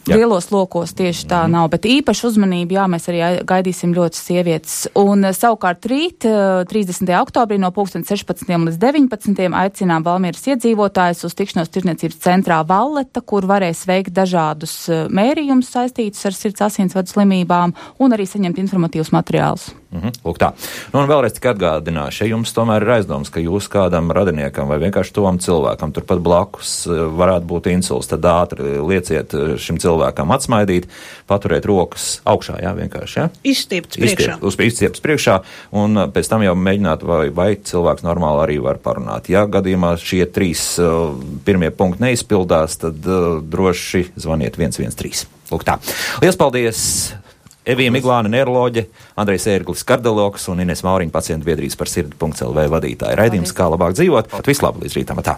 Lielos lokos tieši tā nav, bet īpaši uzmanību, mēs arī gaidīsim ļoti sievietes. Un savukārt rīt, 30. oktobrī no 16. līdz 19. aicinām Valmieras iedzīvotājus uz tikšanos tirniecības centrā Valleta, kur varēs veikt dažādus mērījumus saistītus ar sirds asinsvadu slimībām un arī saņemt informatīvus materiālus. Lūk tā. Un vēlreiz tik atgādināšu, ja jums tomēr ir aizdoms, ka jūs kādam radiniekam vai vienkārši tovam cilvēkam turpat blakus varētu būt insults, tad ātri lieciet šim cilvēkam atsmaidīt, paturēt rokas augšā, vienkārši, Izstiepts priekšā, un pēc tam jau mēģināt, vai cilvēks normāli arī var parunāt. Ja gadījumā šie 3 pirmie punkti neizpildās, tad droši zvaniet 113. Lūk tā. Liels paldies! Evija Miglāna, neiroloģe, Andrejs Ērglis, kardiologs un Ines Mauriņa, pacientu biedrības par sirdi.lv vadītāja. Raidījums Kā labāk dzīvot. Vislabāk līdz rītam. Tā.